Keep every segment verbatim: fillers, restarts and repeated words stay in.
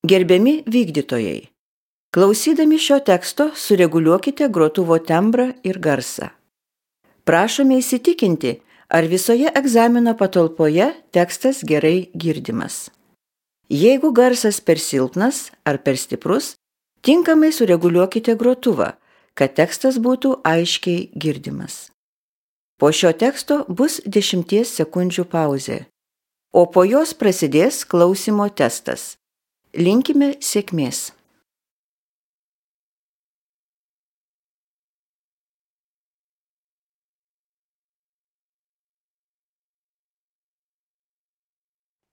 Gerbiami vykdytojai, klausydami šio teksto sureguliuokite grotuvo tembrą ir garsą. Prašome įsitikinti, ar visoje egzamino patalpoje tekstas gerai girdimas. Jeigu garsas per silpnas ar per stiprus, tinkamai sureguliuokite grotuvą, kad tekstas būtų aiškiai girdimas. Po šio teksto bus dešimties sekundžių pauzė, o po jos prasidės klausymo testas. Linkime sėkmės.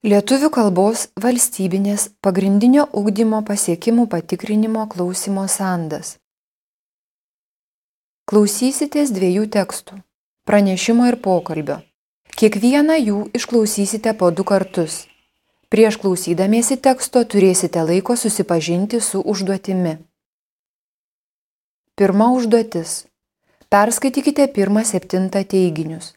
Lietuvių kalbos valstybinės pagrindinio ugdymo pasiekimų patikrinimo klausymo sandas. Klausysitės dviejų tekstų – pranešimo ir pokalbio. Kiekvieną jų išklausysite po du kartus. Prieš klausydamiesi teksto turėsite laiko susipažinti su užduotimi. Pirma užduotis. Perskaitykite pirmą septintą teiginius.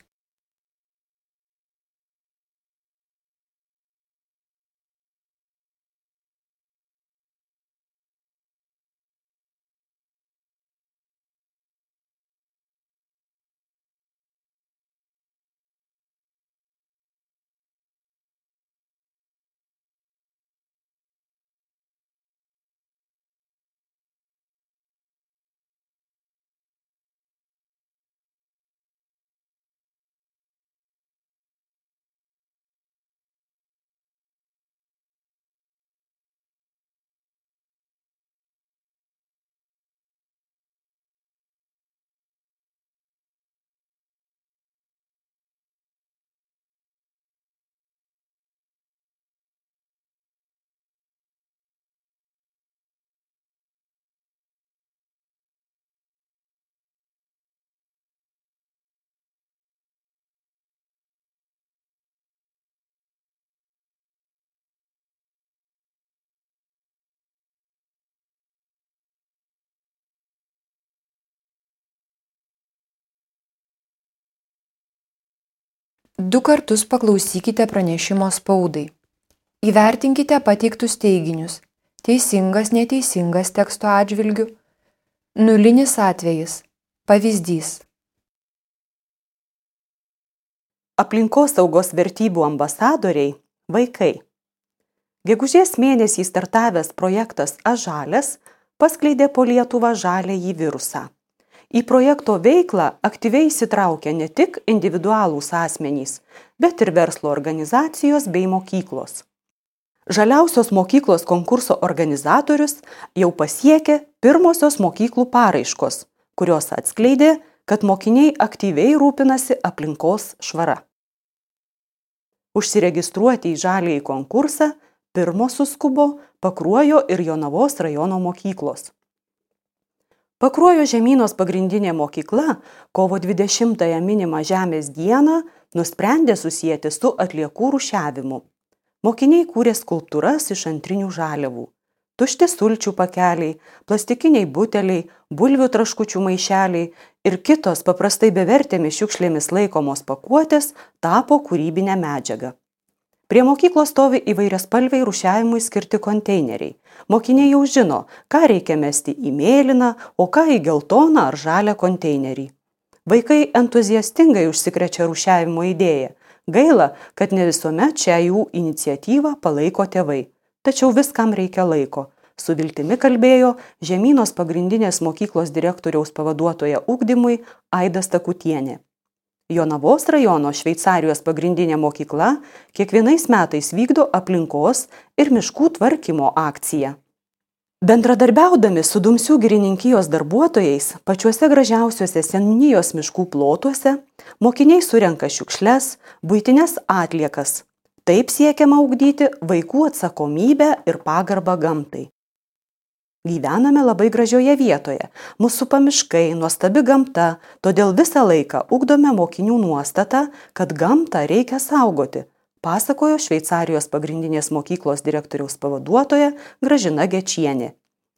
Du kartus paklausykite pranešimo spaudai. Įvertinkite pateiktus teiginius. Teisingas, neteisingas teksto atžvilgiu. Nulinis atvejis. Pavyzdys. Aplinkosaugos vertybių ambasadoriai – vaikai. Gegužės mėnesį startavęs projektas Ažalias paskleidė po Lietuvą žaliąjį virusą. Į projekto veiklą aktyviai įsitraukia ne tik individualūs asmenys, bet ir verslo organizacijos bei mokyklos. Žaliausios mokyklos konkurso organizatorius jau pasiekė pirmosios mokyklų paraiškos, kurios atskleidė, kad mokiniai aktyviai rūpinasi aplinkos švara. Užsiregistruoti į žaliąjį konkursą pirmos suskubo Pakruojo ir Jonavos rajono mokyklos. Pakruojo Žemynos pagrindinė mokykla kovo dvidešimtąją minimą Žemės dieną nusprendė susieti su atliekų rūšiavimu. Mokiniai kūrė skulptūras iš antrinių žaliavų. Tušti sulčių pakeliai, plastikiniai buteliai, bulvių traškučių maišeliai ir kitos paprastai bevertėmis šiukšlėmis laikomos pakuotės tapo kūrybinę medžiagą. Prie mokyklos stovi įvairiaspalviai rūšiavimui skirti konteineriai. Mokiniai jau žino, ką reikia mesti į mėlyną, o ką į geltoną ar žalią konteinerį. Vaikai entuziastingai užsikrečia rūšiavimo idėją. Gaila, kad ne visuomet šią jų iniciatyvą palaiko tėvai. Tačiau viskam reikia laiko. Su viltimi kalbėjo Žemynos pagrindinės mokyklos direktoriaus pavaduotoja ugdymui Aida Stakutienė. Jonavos rajono Šveicarijos pagrindinė mokykla kiekvienais metais vykdo aplinkos ir miškų tvarkymo akciją. Bendradarbiaudami su Dumsių girininkijos darbuotojais pačiuose gražiausiuose seniūnijos miškų plotuose, mokiniai surenka šiukšles, buitines atliekas. Taip siekiama ugdyti vaikų atsakomybę ir pagarbą gamtai. Gyvename labai gražioje vietoje, mūsų supa miškai, nuostabi gamta, todėl visą laiką ugdome mokinių nuostatą, kad gamtą reikia saugoti, pasakojo Šveicarijos pagrindinės mokyklos direktoriaus pavaduotoja Gražina Gečienė.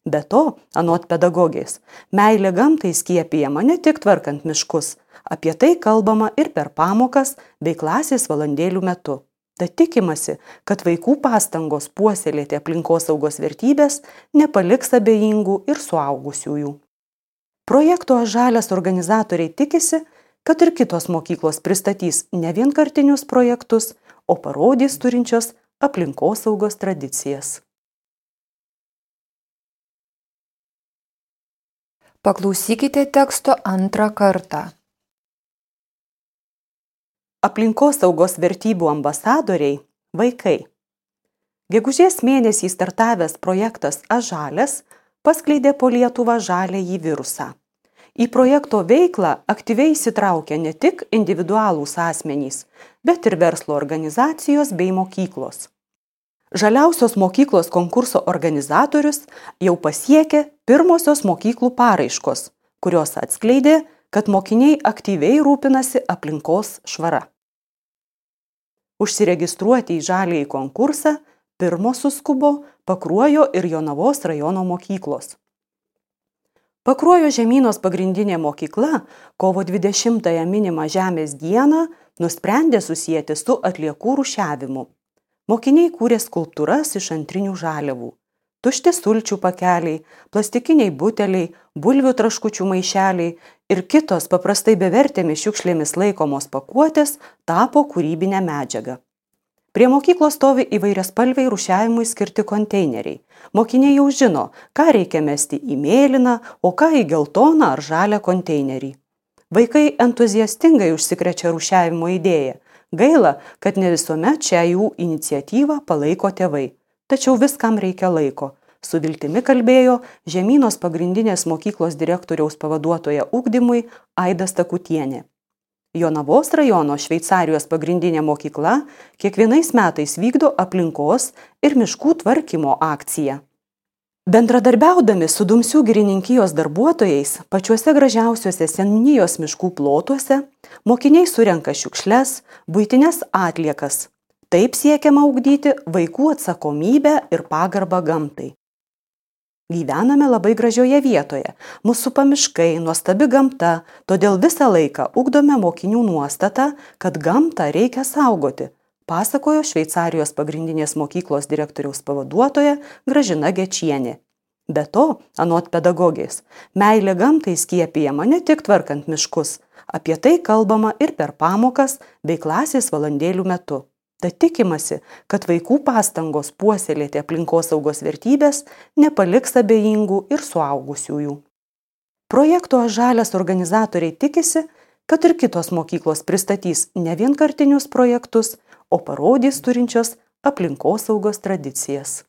Be to, anot pedagogės, meilė gamtai skiepijama ne tik tvarkant miškus, apie tai kalbama ir per pamokas bei klasės valandėlių metu. Tad tikimasi, kad vaikų pastangos puoselėti aplinkosaugos vertybės nepaliks abejingų ir suaugusiųjų. Projekto Žalias organizatoriai tikisi, kad ir kitos mokyklos pristatys ne vienkartinius projektus, o parodys turinčios aplinkosaugos tradicijas. Paklausykite teksto antrą kartą. Aplinkosaugos vertybių ambasadoriai – vaikai. Gegužės mėnesį startavęs projektas Ažalias paskleidė po Lietuvą žaliąjį virusą. Į projekto veiklą aktyviai įsitraukia ne tik individualūs asmenys, bet ir verslo organizacijos bei mokyklos. Žaliausios mokyklos konkurso organizatorius jau pasiekė pirmosios mokyklų paraiškos, kurios atskleidė, kad mokiniai aktyviai rūpinasi aplinkos švara. Užsiregistruoti į žaliąjį konkursą pirmos suskubo Pakruojo ir Jonavos rajono mokyklos. Pakruojo Žemynos pagrindinė mokykla kovo dvidešimtąją minimą Žemės dieną nusprendė susijęti su atliekų rūšiavimu. Mokiniai kūrė skulptūras iš antrinių žaliavų. Tušti sulčių pakeliai, plastikiniai buteliai, bulvių traškučių maišeliai ir kitos paprastai bevertėmis šiukšlėmis laikomos pakuotės tapo kūrybinę medžiagą. Prie mokyklos stovi įvairiaspalviai rūšiavimui skirti konteineriai. Mokiniai jau žino, ką reikia mesti į mėlyną, o ką į geltoną ar žalią konteinerį. Vaikai entuziastingai užsikrečia rūšiavimo idėją. Gaila, kad ne visuomet šią jų iniciatyvą palaiko tėvai. Tačiau viskam reikia laiko. Su viltimi kalbėjo Žemynos pagrindinės mokyklos direktoriaus pavaduotoja ugdymui Aida Stakutienė. Jonavos rajono Šveicarijos pagrindinė mokykla kiekvienais metais vykdo aplinkos ir miškų tvarkymo akciją. Bendradarbiaudami su Dumsių girininkijos darbuotojais pačiuose gražiausiuose seniūnijos miškų plotuose, mokiniai surenka šiukšles, buitines atliekas. Taip siekiama ugdyti vaikų atsakomybę ir pagarbą gamtai. Gyvename labai gražioje vietoje, mus supa miškai, nuostabi gamta, todėl visą laiką ugdome mokinių nuostatą, kad gamtą reikia saugoti, pasakojo Šveicarijos pagrindinės mokyklos direktoriaus pavaduotoja Gražina Gečienė. Be to, anot pedagogės, meilė gamtai skiepijama ne tik tvarkant miškus, apie tai kalbama ir per pamokas bei klasės valandėlių metu. Tad tikimasi, kad vaikų pastangos puoselėti aplinkosaugos vertybės nepaliks abejingų ir suaugusiųjų. Projekto Žalias organizatoriai tikisi, kad ir kitos mokyklos pristatys ne vienkartinius projektus, o parodys turinčios aplinkosaugos tradicijas.